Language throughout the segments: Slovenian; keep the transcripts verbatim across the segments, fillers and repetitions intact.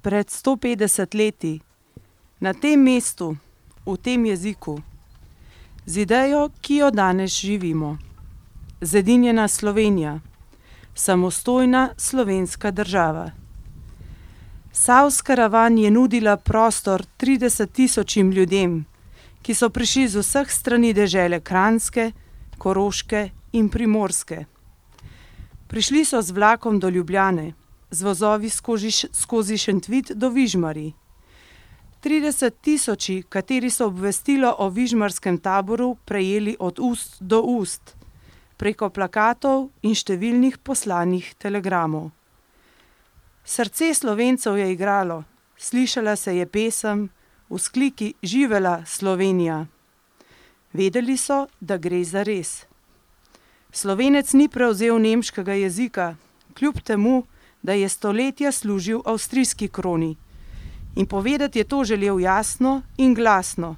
pred sto petdeset leti, na tem mestu, v tem jeziku, z idejo, ki jo danes živimo. Zedinjena Slovenija, samostojna slovenska država. Savska ravan je nudila prostor trideset tisočim ljudem, ki so prišli z vseh strani dežele Kranjske, Koroške in Primorske. Prišli so z vlakom do Ljubljane, z vozovi skozi, skozi Šentvid do Vižmarij. Trideset tisoči, kateri so obvestilo o vižmarskem taboru prejeli od ust do ust, preko plakatov in številnih poslanih telegramov. Srce Slovencev je igralo, slišala se je pesem, vzkliki živela Slovenija. Vedeli so, da gre za res. Slovenec ni prevzel nemškega jezika, kljub temu, da je stoletja služil avstrijski kroni. In povedati je to želel jasno in glasno,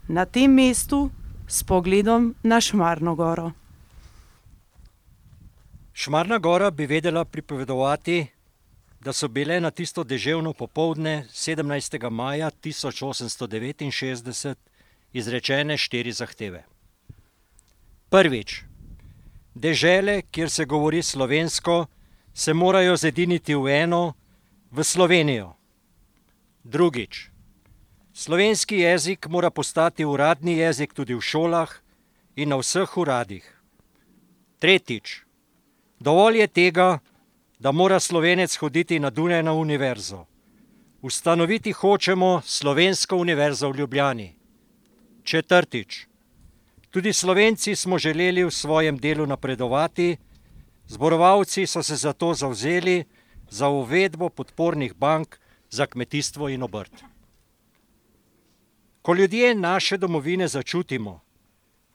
na tem mestu s pogledom na Šmarno goro. Šmarna gora bi vedela pripovedovati, da so bile na tisto deževno popoldne sedemnajstega maja tisoč osemsto devetinšestdeset izrečene štiri zahteve. Prvič, dežele, kjer se govori slovensko, se morajo zediniti v eno, v Slovenijo. Drugič, slovenski jezik mora postati uradni jezik tudi v šolah in na vseh uradih. Tretjič, dovolj je tega, da mora Slovenec hoditi na Dunaj na univerzo. Ustanoviti hočemo Slovensko univerzo v Ljubljani. Četrtič, tudi Slovenci smo želeli v svojem delu napredovati, zborovalci so se zato zavzeli za uvedbo podpornih bank za kmetijstvo in obrt. Ko ljudje naše domovine začutimo,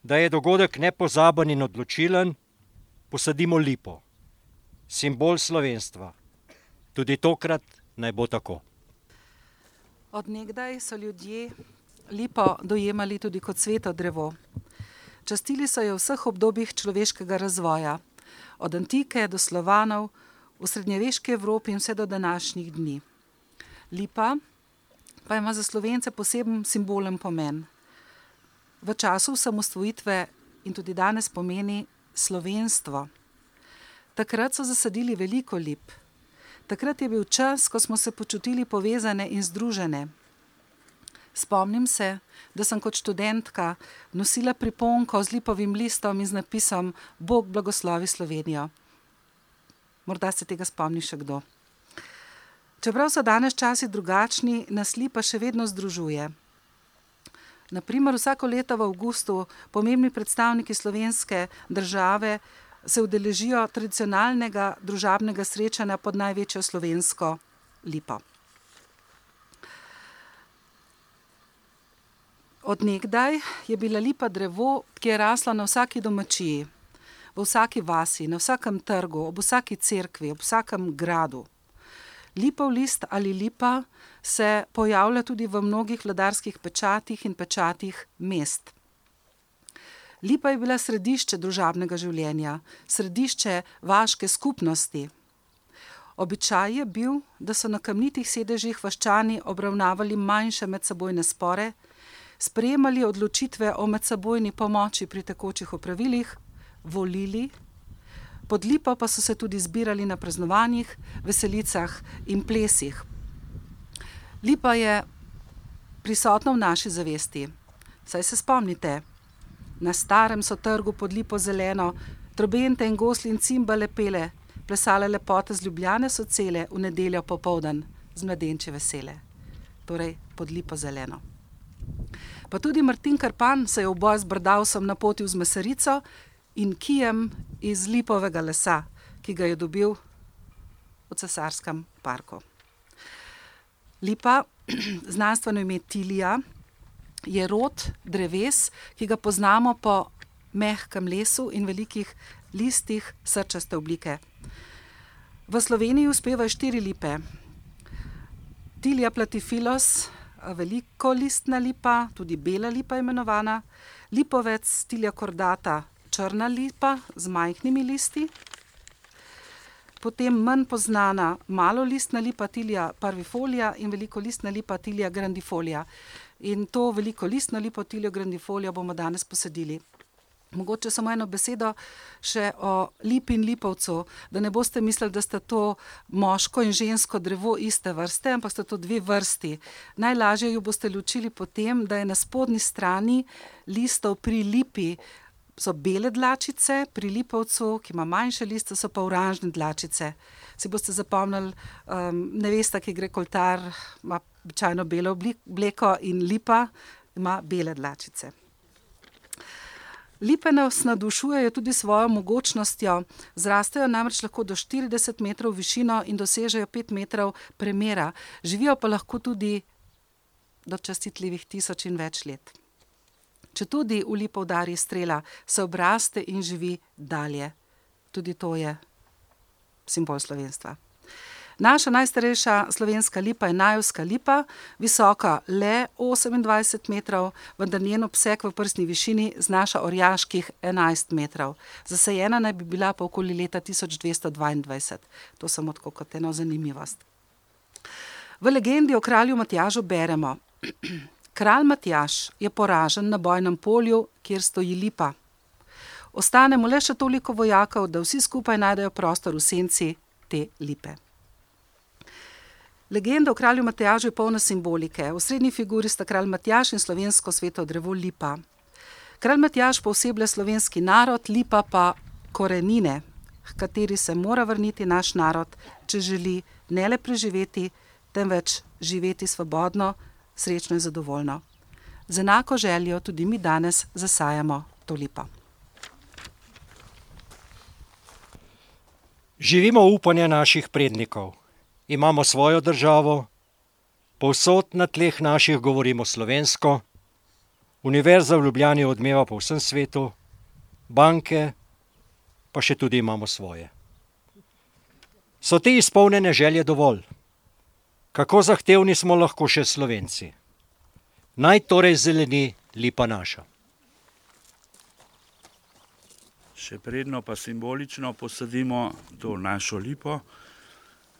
da je dogodek nepozaben in odločilen, posadimo lipo, simbol slovenstva. Tudi tokrat naj bo tako. Od nekdaj so ljudje lipo dojemali tudi kot sveto drevo. Častili so jo v vseh obdobjih človeškega razvoja, od antike do Slovanov, v srednjeveški Evropi in vse do današnjih dni. Lipa pa ima za Slovence poseben simbolen pomen. V času osamosvojitve in tudi danes pomeni slovenstvo. Takrat so zasadili veliko lip. Takrat je bil čas, ko smo se počutili povezane in združene. Spomnim se, da sem kot študentka nosila priponko z lipovim listom in z napisom Bog blagoslovi Slovenijo. Morda se tega spomni še kdo. Čeprav so danes časi drugačni, nas lipa še vedno združuje. Na primer, vsako leto v avgustu pomembni predstavniki slovenske države se udeležijo tradicionalnega družabnega srečanja pod največjo slovensko lipo. Od nekdaj je bila lipa drevo, ki je rasla na vsaki domačiji, v vsaki vasi, na vsakem trgu, ob vsaki cerkvi, ob vsakem gradu. Lipov list ali lipa se pojavlja tudi v mnogih vladarskih pečatih in pečatih mest. Lipa je bila središče družabnega življenja, središče vaške skupnosti. Običaj je bil, da so na kamnitih sedežih vaščani obravnavali manjše medsebojne spore, sprejemali odločitve o medsebojni pomoči pri tekočih opravilih, volili, pod lipo pa so se tudi zbirali na praznovanjih, veselicah in plesih. Lipa je prisotna v naši zavesti. Saj se spomnite, na starem so trgu pod lipo zeleno, trobente in gosli in cimbale pele, plesale lepote z Ljubljane so cele v nedeljo popoldan z mladenče vesele. Torej pod lipo zeleno. Pa tudi Martin Krpan se je v boj z brdavsom napotil z mesarico in kijem iz lipovega lesa, ki ga je dobil v cesarskem parku. Lipa, znanstveno ime Tilija, je rod dreves, ki ga poznamo po mehkem lesu in velikih listih srčaste oblike. V Sloveniji uspevajo štiri lipe. Tilia platyphilus, velikolistna lipa, tudi bela lipa imenovana, lipovec Tilia cordata, črna lipa z majhnimi listi, potem manj poznana malolistna lipa Tilia parvifolia in velikolistna lipa Tilia grandifolia. In to velikolistno lipo Tilio grandifolio bomo danes posadili. Mogoče samo eno besedo še o lipi in lipovcu, da ne boste mislili, da sta to moško in žensko drevo iste vrste, ampak sta to dve vrsti. Najlažje jo boste ločili po tem, da je na spodnji strani listov pri lipi so bele dlačice, pri lipovcu, ki ima manjše liste, so pa oranžne dlačice. Si boste zapomnili, um, nevesta, ki gre k oltar, ima običajno belo obleko in lipa ima bele dlačice. Lipe nas navdušujejo tudi svojo mogočnostjo, zrastejo namreč lahko do štirideset metrov v višino in dosežejo pet metrov premera. Živijo pa lahko tudi do častitljivih tisoč in več let. Četudi v lipo udari strela, se obraste in živi dalje. Tudi to je simbol slovenstva. Naša najstarejša slovenska lipa je najevska lipa, visoka le osemindvajset metrov, vendar njen obseg v prstni višini znaša orjaških enajst metrov. Zasajena naj bi bila pa okoli leta tisoč dvesto dvaindvajset. To samo tako kot eno zanimivost. V legendi o kralju Matjažu beremo: Kralj Matjaž je poražen na bojnem polju, kjer stoji lipa. Ostane mu le še toliko vojakov, da vsi skupaj najdejo prostor v senci te lipe. Legenda o kralju Matjažu je polna simbolike. V srednji figuri sta kralj Matjaž in slovensko sveto drevo lipa. Kralj Matjaž pooseblja slovenski narod, lipa pa korenine, h kateri se mora vrniti naš narod, če želi ne le preživeti, temveč živeti svobodno, srečno in zadovoljno. Z enako željo tudi mi danes zasajamo to lipo. Živimo upanje naših prednikov. Imamo svojo državo, povsod na tleh naših govorimo slovensko, univerza v Ljubljani odmeva po vsem svetu, banke pa še tudi imamo svoje. So te izpolnjene želje dovolj? Kako zahtevni smo lahko še Slovenci? Naj torej zeleni lipa naša. Še predno pa simbolično posadimo to našo lipo.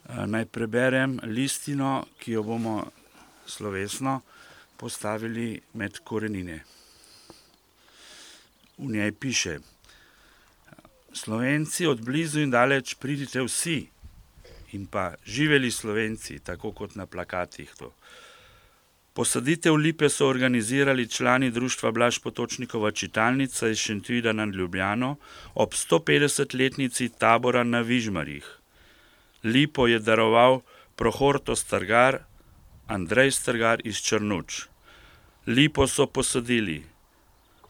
Naj preberem listino, ki jo bomo slovesno postavili med korenine. V njej piše: Slovenci od blizu in daleč pridite vsi, in pa živeli Slovenci, tako kot na plakatih to. Posaditev lipe so organizirali člani društva Blaž Potočnikova čitalnica iz Šentvida nad Ljubljano ob stopetdesetletnici tabora na Vižmarjih. Lipo je daroval Prohorto Strgar, Andrej Strgar iz Črnuč. Lipo so posadili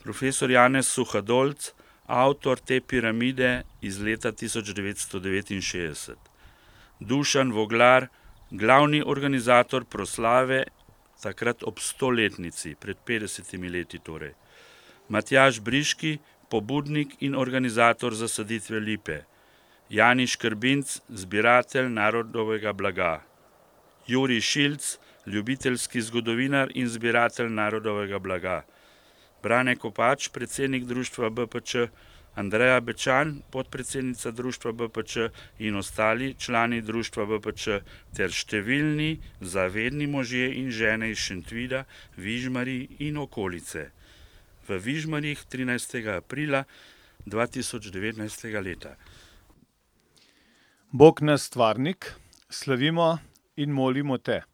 profesor Janez Suhadolc, avtor te piramide iz leta tisoč devetsto devetinšestdeset. Dušan Voglar, glavni organizator proslave, takrat ob stoletnici, pred petdesetimi leti torej. Matjaž Briški, pobudnik in organizator zasaditve lipe. Jani Škrbinc, zbiratelj narodovega blaga. Jurij Šilc, ljubiteljski zgodovinar in zbiratelj narodovega blaga. Brane Kopač, predsednik društva B P Č, Andreja Bečan, podpredsednica društva B P Č in ostali člani društva B P Č ter številni zavedni možje in žene iz Šentvida, Vižmarij in okolice. V Vižmarjih trinajstega aprila dva tisoč devetnajstega leta. Bog nas stvarnik, slavimo in molimo te.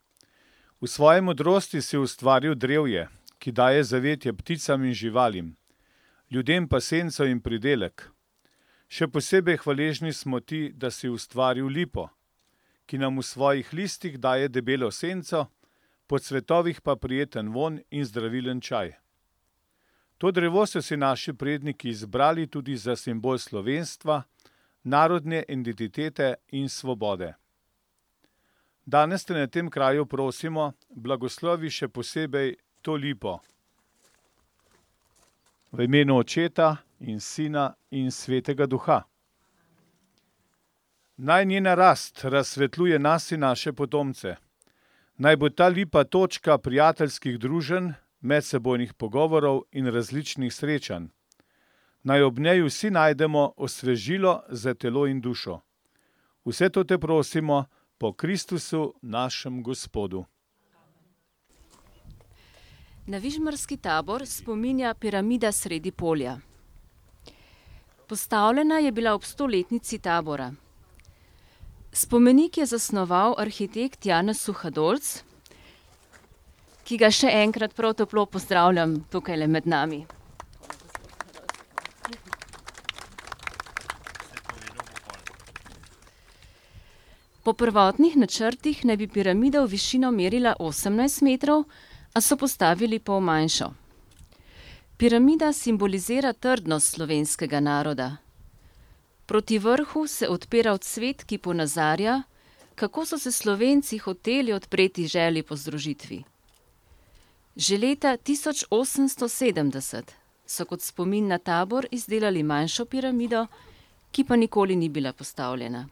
V svoji modrosti si ustvaril drevje, ki daje zavetje pticam in živalim, ljudem pa senco in pridelek. Še posebej hvaležni smo ti, da si ustvaril lipo, ki nam v svojih listih daje debelo senco, po cvetovih pa prijeten vonj in zdravilen čaj. To drevo so si naši predniki izbrali tudi za simbol slovenstva, narodne identitete in svobode. Danes te na tem kraju prosimo, blagoslovi še posebej to lipo. V imenu Očeta in Sina in Svetega Duha. Naj njena rast razsvetljuje nas in naše potomce. Naj bo ta lipa točka prijateljskih druženj, medsebojnih pogovorov in različnih srečanj. Naj ob njej vsi najdemo osvežilo za telo in dušo. Vse to te prosimo po Kristusu našem Gospodu. Na Vižmarski tabor spominja piramida sredi polja. Postavljena je bila ob stoletnici tabora. Spomenik je zasnoval arhitekt Janez Suhadolc, ki ga še enkrat prav toplo pozdravljam tukajle med nami. Po prvotnih načrtih naj bi piramida v višino merila osemnajst metrov, a so postavili pol manjšo. Piramida simbolizira trdnost slovenskega naroda. Proti vrhu se odpira odsvet, ki ponazarja, kako so se Slovenci hoteli odpreti želji po združitvi. Že leta tisoč osemsto sedemdeset so kot spomin na tabor izdelali manjšo piramido, ki pa nikoli ni bila postavljena.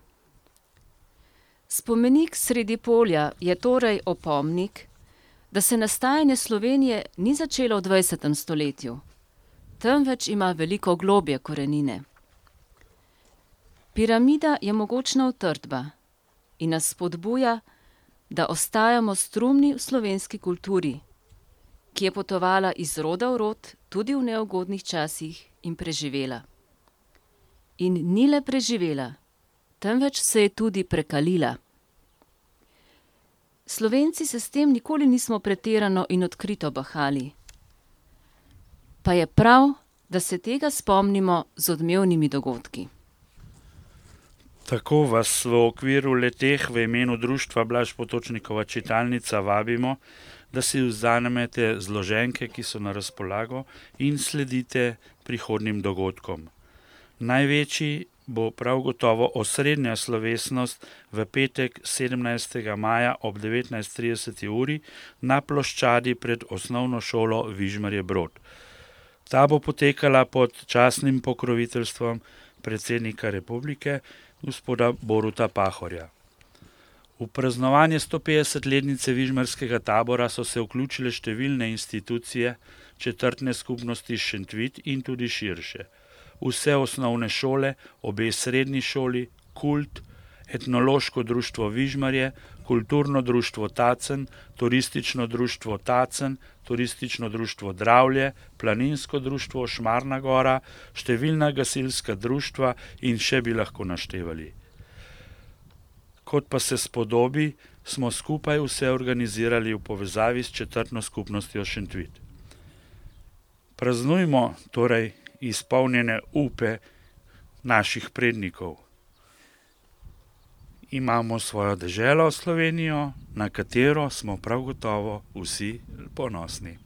Spomenik sredi polja je torej opomnik, da se nastajanje Slovenije ni začelo v dvajsetem stoletju, temveč ima veliko globje korenine. Piramida je mogočna utrdba in nas spodbuja, da ostajamo strumni v slovenski kulturi, ki je potovala iz roda v rod tudi v neugodnih časih in preživela. In ni le preživela, temveč se je tudi prekalila. Slovenci se s tem nikoli nismo pretirano in odkrito bahali. Pa je prav, da se tega spomnimo z odmevnimi dogodki. Tako vas v okviru leteh v imenu Društva Blaž Potočnikova čitalnica vabimo, da si vzamete zloženke, ki so na razpolago, in sledite prihodnjim dogodkom. Največji bo prav gotovo osrednja slovesnost v petek sedemnajstega maja ob devetnajst trideset uri na ploščadi pred osnovno šolo Vižmarje Brod. Ta bo potekala pod častnim pokroviteljstvom predsednika republike, gospoda Boruta Pahorja. V praznovanje stopetdesetletnice Vižmarskega tabora so se vključile številne institucije, četrtne skupnosti Šentvid in tudi širše. Vse osnovne šole, obe srednji šoli, Kult, Etnološko društvo Vižmarje, Kulturno društvo Tacen, Turistično društvo Tacen, Turistično društvo Dravlje, Planinsko društvo Šmarna gora, številna gasilska društva in še bi lahko naštevali. Kot pa se spodobi, smo skupaj vse organizirali v povezavi s četrtno skupnostjo Šentvid. Praznujmo torej izpolnjene upe naših prednikov. Imamo svojo deželo Slovenijo, na katero smo prav gotovo vsi ponosni.